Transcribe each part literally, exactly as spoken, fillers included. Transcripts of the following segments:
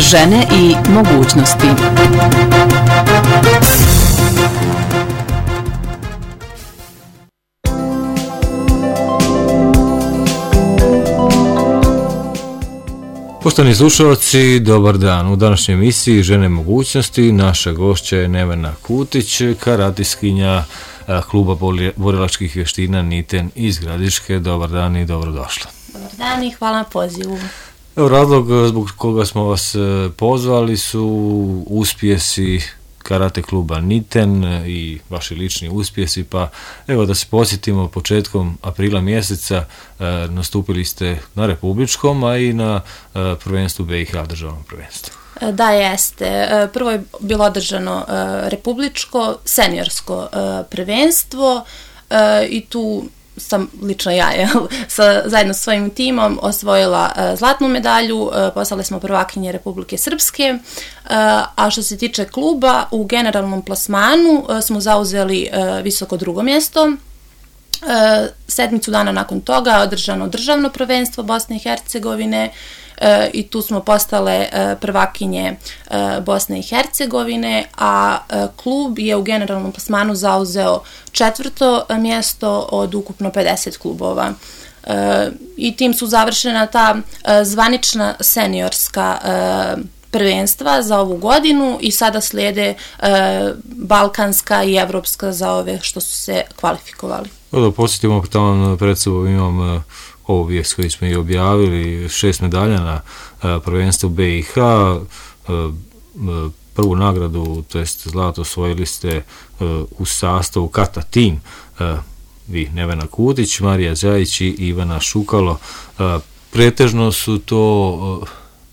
žene i mogućnosti. Poštovani slušalci, dobar dan. U današnjoj emisiji Žene mogućnosti naša gošća je Nevena Kutić, karatistkinja kluba borilačkih vještina Niten iz Gradiške. Dobar dan i dobrodošla. Dobar dan i hvala na pozivu. Evo, razlog zbog koga smo vas pozvali su uspjesi karate kluba Niten i vaši lični uspjesi, pa evo da se podsjetimo, početkom aprila mjeseca e, nastupili ste na republičkom, a i na e, prvenstvu B i H, državnom prvenstvu. Da, jeste. Prvo je bilo održano e, republičko seniorsko e, prvenstvo e, i tu sam lično ja je, sa, zajedno sa svojim timom osvojila uh, zlatnu medalju, uh, postale smo prvakinje Republike Srpske, uh, a što se tiče kluba, u generalnom plasmanu uh, smo zauzeli uh, visoko drugo mjesto. Uh, sedmicu dana nakon toga je održano državno prvenstvo Bosne i Hercegovine, Uh, i tu smo postale uh, prvakinje uh, Bosne i Hercegovine, a uh, klub je u generalnom plasmanu zauzeo četvrto mjesto od ukupno pedeset klubova. Uh, I tim su završena ta uh, zvanična seniorska uh, prvenstva za ovu godinu i sada slijede uh, balkanska i evropska za ove što su se kvalifikovali. Da podsjetimo, tamo pred sobom imam uh, ovu vijest koju smo i objavili, šest medalja na uh, prvenstvu B i H, uh, uh, prvu nagradu, to jest zlato, osvojili ste uh, u sastavu Kata Team, uh, vi Nevena Kutić, Marija Đajić i Ivana Šukalo. Uh, pretežno su to uh,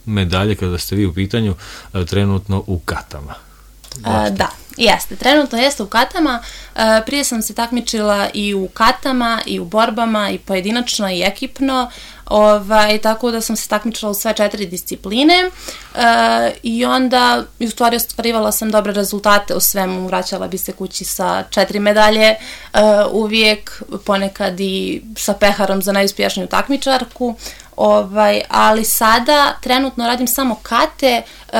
medalje, kada ste vi u pitanju, uh, trenutno u katama. Uh, da, jeste. Trenutno jeste u katama. Uh, prije sam se takmičila i u katama, i u borbama, i pojedinačno, i ekipno. Ovaj, tako da sam se takmičila u sve četiri discipline. Uh, I onda, u stvari, ostvarivala sam dobre rezultate u svemu. Vraćala bi se kući sa četiri medalje. Uh, uvijek, ponekad i sa peharom za najuspješniju takmičarku. Ovaj, ali sada trenutno radim samo kate. Uh,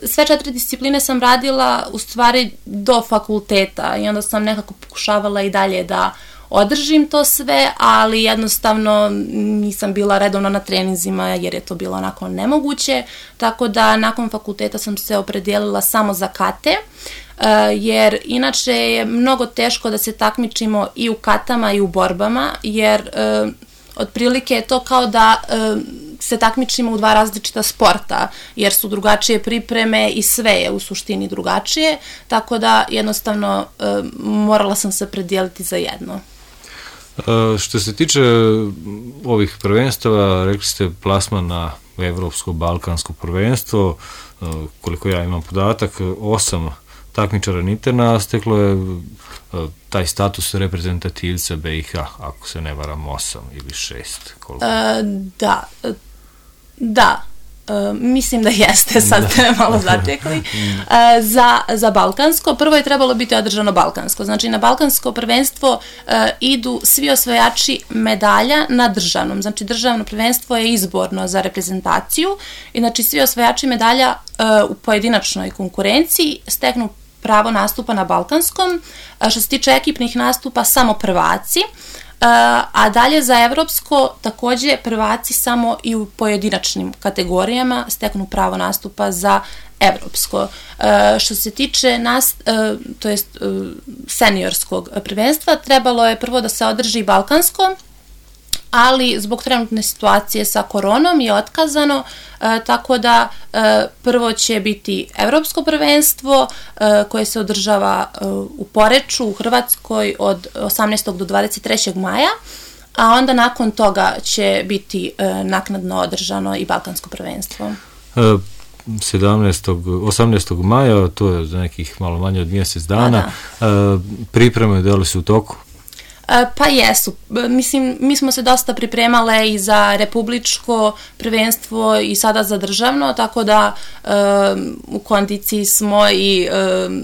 Sve četiri discipline sam radila u stvari do fakulteta i onda sam nekako pokušavala i dalje da održim to sve, ali jednostavno nisam bila redovno na treninzima jer je to bilo onako nemoguće, tako da nakon fakulteta sam se opredijelila samo za kate, jer inače je mnogo teško da se takmičimo i u katama i u borbama, jer otprilike je to kao da se takmičimo u dva različita sporta, jer su drugačije pripreme i sve je u suštini drugačije, tako da jednostavno e, morala sam se predijeliti za jedno. E, što se tiče ovih prvenstava, rekli ste plasman na evropsko balkansko prvenstvo, e, koliko ja imam podatak, osam takmičara Nitena steklo je e, taj status reprezentativca B i H, ako se ne varam, osam ili šest. Koliko? E, da, Da, e, mislim da jeste, sad ste malo zatekli. E, za, za balkansko, prvo je trebalo biti održano balkansko. Znači na balkansko prvenstvo e, idu svi osvajači medalja na državnom. Znači državno prvenstvo je izborno za reprezentaciju i znači svi osvajači medalja e, u pojedinačnoj konkurenciji steknu pravo nastupa na balkanskom. E, što se tiče ekipnih nastupa, samo prvaci. Uh, a dalje za evropsko također prvaci samo i u pojedinačnim kategorijama steknu pravo nastupa za evropsko. Uh, što se tiče nas, uh, to jest uh, seniorskog prvenstva, trebalo je prvo da se održi balkansko, ali zbog trenutne situacije sa koronom je otkazano, e, tako da e, prvo će biti evropsko prvenstvo e, koje se održava e, u Poreču u Hrvatskoj od osamnaestog do dvadeset trećeg maja, a onda nakon toga će biti e, naknadno održano i balkansko prvenstvo. E, sedamnaestog, osamnaestog maja, to je za nekih malo manje od mjesec dana. E, pripreme da li su u toku? Pa jesu. Mislim, mi smo se dosta pripremale i za republičko prvenstvo i sada za državno, tako da um, u kondiciji smo i um,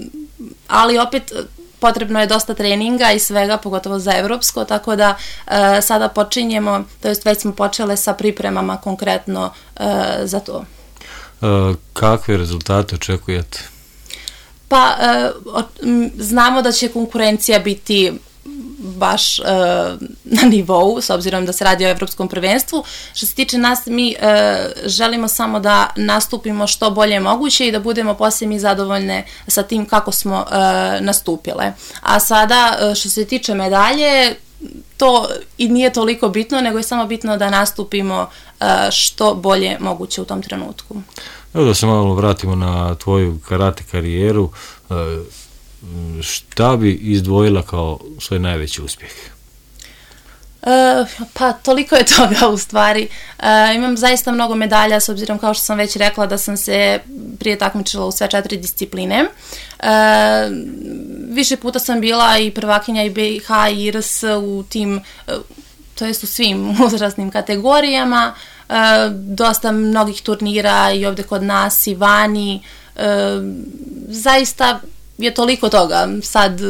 ali opet potrebno je dosta treninga i svega, pogotovo za evropsko, tako da uh, sada počinjemo, to jest već smo počele sa pripremama konkretno uh, za to. kakve rezultate očekujete? Pa, znamo da će konkurencija biti baš uh, na nivou, s obzirom da se radi o evropskom prvenstvu. Što se tiče nas, mi uh, želimo samo da nastupimo što bolje moguće i da budemo poslije mi zadovoljne sa tim kako smo uh, nastupile. A sada, uh, što se tiče medalje, to i nije toliko bitno, nego je samo bitno da nastupimo uh, što bolje moguće u tom trenutku. Evo da se malo vratimo na tvoju karate karijeru. Uh, šta bi izdvojila kao svoj najveći uspjeh? Uh, pa toliko je toga u stvari. Uh, imam zaista mnogo medalja, s obzirom kao što sam već rekla da sam se prije takmičila u sve četiri discipline. Uh, više puta sam bila i prvakinja i B i H i R S u tim, uh, to jest u svim uzrasnim kategorijama. Uh, dosta mnogih turnira i ovdje kod nas i vani. Uh, zaista je toliko toga. Sad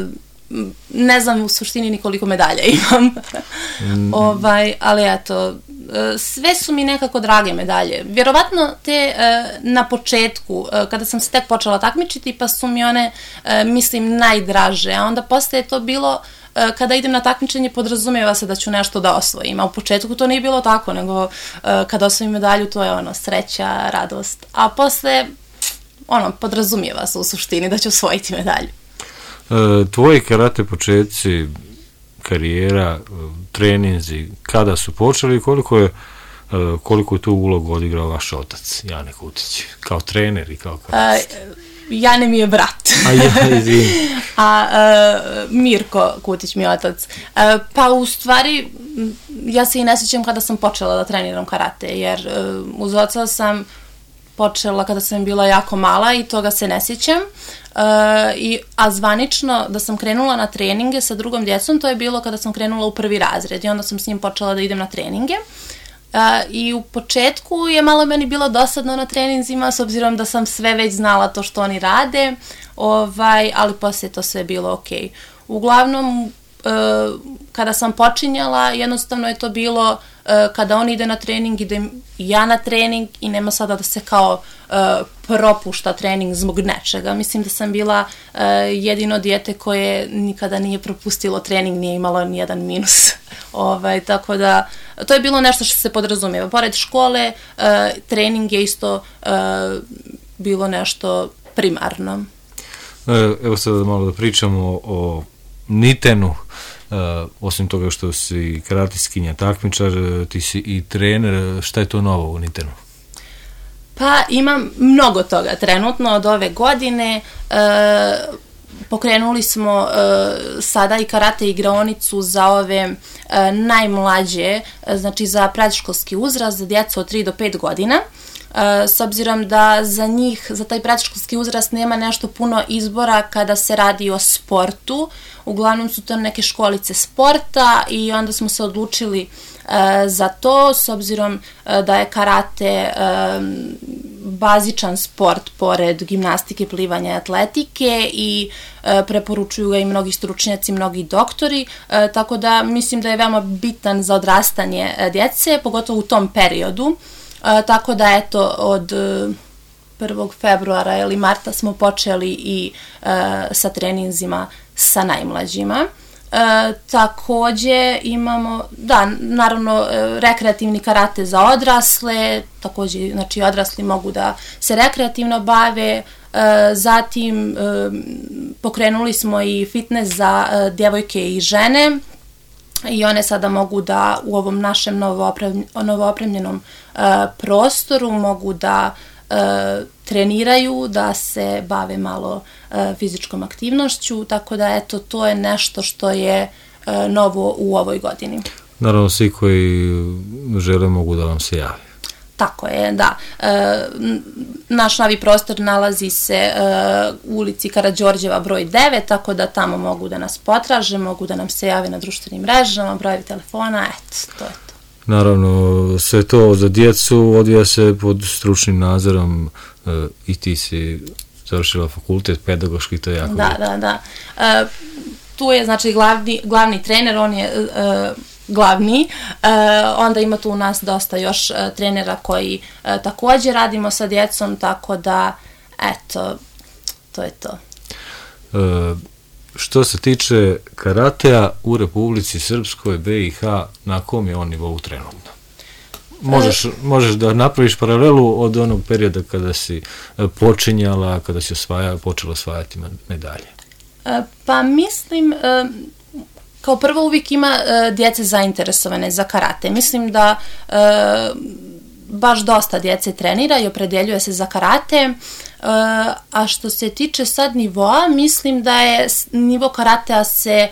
ne znam u suštini ni koliko medalja imam. mm. ovaj, ali eto, sve su mi nekako drage medalje. Vjerovatno te na početku, kada sam se tek počela takmičiti, pa su mi one, mislim, najdraže. A onda posle je to bilo, kada idem na takmičenje, podrazumijeva se da ću nešto da osvojim. A u početku to nije bilo tako, nego kada osvojim medalju, to je ono, sreća, radost. A posle, ono, podrazumijeva se u suštini da ću osvojiti medalju. E, tvoji karate početci, karijera, treninzi, kada su počeli i koliko je, koliko je tu ulogu odigrao vaš otac, Jane Kutić, kao trener i kao karate? Jane mi je brat. A ja, izvini. A uh, Mirko Kutić mi je otac. Uh, pa u stvari, ja se i ne sjećam kada sam počela da treniram karate, jer uh, uz oca sam počela kada sam bila jako mala i toga se ne sjećam. Uh, i, a zvanično da sam krenula na treninge sa drugom djecom, to je bilo kada sam krenula u prvi razred i onda sam s njim počela da idem na treninge. Uh, I u početku je malo meni bilo dosadno na treninzima, s obzirom da sam sve već znala to što oni rade, ovaj, ali poslije to sve bilo ok. Uglavnom, uh, kada sam počinjala, jednostavno je to bilo uh, kada on ide na trening, idem ja na trening i nema sada da se kao uh, propušta trening zbog nečega. Mislim da sam bila uh, jedino dijete koje nikada nije propustilo trening, nije imalo nijedan minus. ovaj, tako da, to je bilo nešto što se podrazumijeva. Pored škole, uh, trening je isto uh, bilo nešto primarno. Evo sad malo da pričamo o Nitenu. Uh, osim toga što si karatiskinja, takmičar, ti si i trener. Šta je to novo u Nitenu? Pa imam mnogo toga trenutno od ove godine. Uh, pokrenuli smo uh, sada i karate igraonicu za ove uh, najmlađe, uh, znači za predškolski uzrast, za djecu od tri do pet godina. Uh, s obzirom da za njih, za taj predškolski uzrast nema nešto puno izbora kada se radi o sportu. Uglavnom su to neke školice sporta i onda smo se odlučili uh, za to, s obzirom uh, da je karate uh, bazičan sport pored gimnastike, plivanja i atletike i uh, preporučuju ga i mnogi stručnjaci, mnogi doktori, uh, tako da mislim da je veoma bitan za odrastanje uh, djece, pogotovo u tom periodu. Uh, tako da eto od uh, prvog februara ili marta smo počeli i uh, sa treninzima sa najmlađima. Uh, također imamo, da, naravno, uh, rekreativni karate za odrasle, također, znači odrasli mogu da se rekreativno bave. Uh, zatim uh, pokrenuli smo i fitness za uh, djevojke i žene. I one sada mogu da u ovom našem novoopremljenom uh, prostoru mogu da uh, treniraju, da se bave malo uh, fizičkom aktivnošću, tako da eto, to je nešto što je uh, novo u ovoj godini. Naravno, svi koji žele mogu da vam se jave. Tako je, da. E, naš novi prostor nalazi se e, u ulici Karađorđeva broj devet, tako da tamo mogu da nas potraže, mogu da nam se jave na društvenim mrežama, brojevi telefona, eto, to je to. Naravno, sve to za djecu odvija se pod stručnim nadzorom e, i ti si završila fakultet pedagoški, to je jako Da, bitno. da, da. E, tu je, znači, glavni, glavni trener, on je... E, glavni. E, onda ima tu u nas dosta još e, trenera koji e, također radimo sa djecom, tako da, eto, to je to. E, što se tiče karatea u Republici Srpskoj, B i H, na kom je on nivou trenutno? Možeš, možeš da napraviš paralelu od onog perioda kada si počinjala, kada si osvaja, počela osvajati medalje? E, pa mislim, e, kao prvo uvijek ima e, djece zainteresovane za karate. Mislim da e, baš dosta djece trenira i opredeljuje se za karate, e, a što se tiče sad nivoa, mislim da je nivo karatea se e,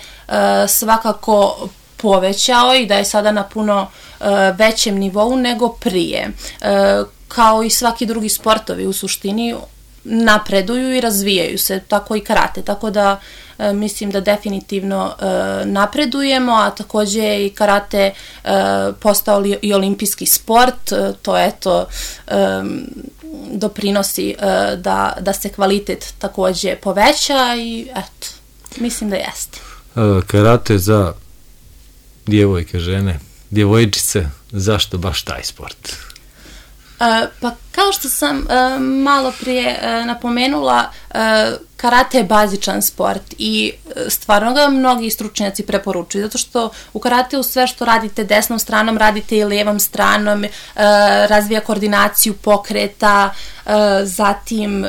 svakako povećao i da je sada na puno e, većem nivou nego prije. E, kao i svaki drugi sportovi u suštini napreduju i razvijaju se, tako i karate, tako da e, mislim da definitivno e, napredujemo, a također je i karate e, postao li, i olimpijski sport, e, to eto e, doprinosi e, da, da se kvalitet također poveća i eto, mislim da jeste. E, karate za djevojke, žene, djevojčice, zašto baš taj sport? E, pa kao što sam e, malo prije e, napomenula, e, karate je bazičan sport i e, stvarno ga mnogi stručnjaci preporučuju, zato što u karateu sve što radite desnom stranom, radite i lijevom stranom, e, razvija koordinaciju pokreta, e, zatim e,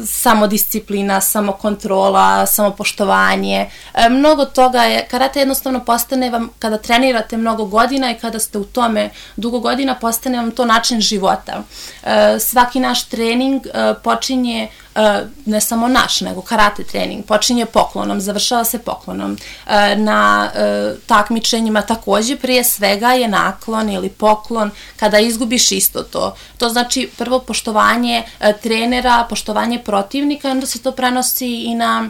samodisciplina, samokontrola, samopoštovanje. E, mnogo toga je, karate jednostavno postane vam, kada trenirate mnogo godina i kada ste u tome dugo godina, postane vam to način života. E, svaki naš trening e, počinje, e, ne samo naš, nego karate trening, počinje poklonom, završava se poklonom. E, na e, takmičenjima također prije svega je naklon ili poklon, kada izgubiš isto to. To znači prvo poštovanje e, trenera, poštovanje protivnika, onda se to prenosi i na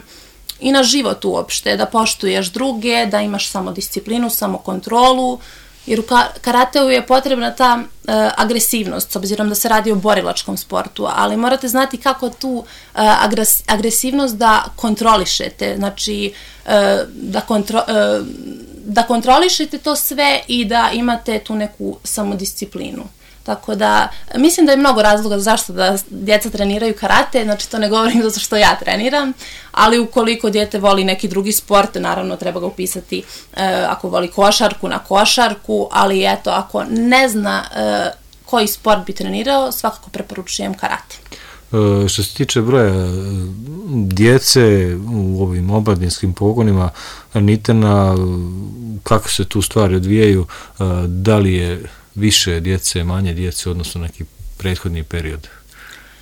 i na život uopšte, da poštuješ druge, da imaš samodisciplinu, samokontrolu, jer u karateu je potrebna ta e, agresivnost, s obzirom da se radi o borilačkom sportu, ali morate znati kako tu e, agres, agresivnost da kontrolišete, znači e, da, kontro, e, da kontrolišete to sve i da imate tu neku samodisciplinu. Tako da, mislim da je mnogo razloga zašto da djeca treniraju karate, znači to ne govorim zato što ja treniram, ali ukoliko dijete voli neki drugi sport, naravno treba ga upisati e, ako voli košarku na košarku, ali eto, ako ne zna e, koji sport bi trenirao, svakako preporučujem karate. E, što se tiče broja djece u ovim omladinskim pogonima, Nitena, kako se tu stvari odvijaju, e, da li je više djece, manje djece, odnosno neki prethodni period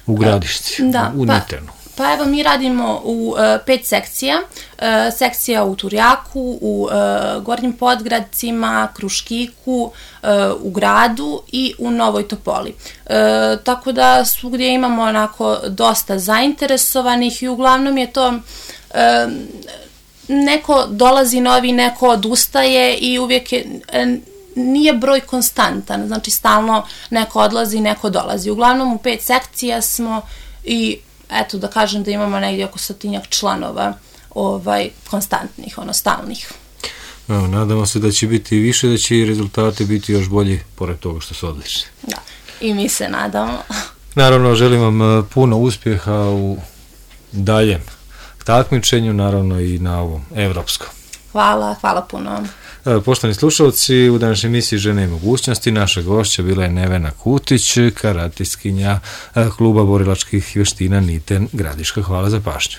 u Gradišci, da, u pa, Nitenu? Pa evo, mi radimo u uh, pet sekcija. Uh, sekcija u Turjaku, u uh, Gornjim Podgradcima, Kruškiku, uh, u Gradu i u Novoj Topoli. Uh, tako da svugdje imamo onako dosta zainteresovanih i uglavnom je to uh, neko dolazi novi, neko odustaje i uvijek je uh, nije broj konstantan, znači stalno neko odlazi, neko dolazi. Uglavnom u pet sekcija smo i eto da kažem da imamo negdje oko stotinjak članova ovaj, konstantnih, ono stalnih. Evo, nadamo se da će biti više, da će i rezultati biti još bolji, pored toga što su odlični. Da, i mi se nadamo. Naravno, želim vam puno uspjeha u daljem takmičenju, naravno i na ovom evropskom. Hvala, hvala puno. Poštovani slušalci, u današnjoj emisiji Žene i mogućnosti naša gošća bila je Nevena Kutić, karatistkinja kluba borilačkih vještina Niten Gradiška. Hvala za pažnju.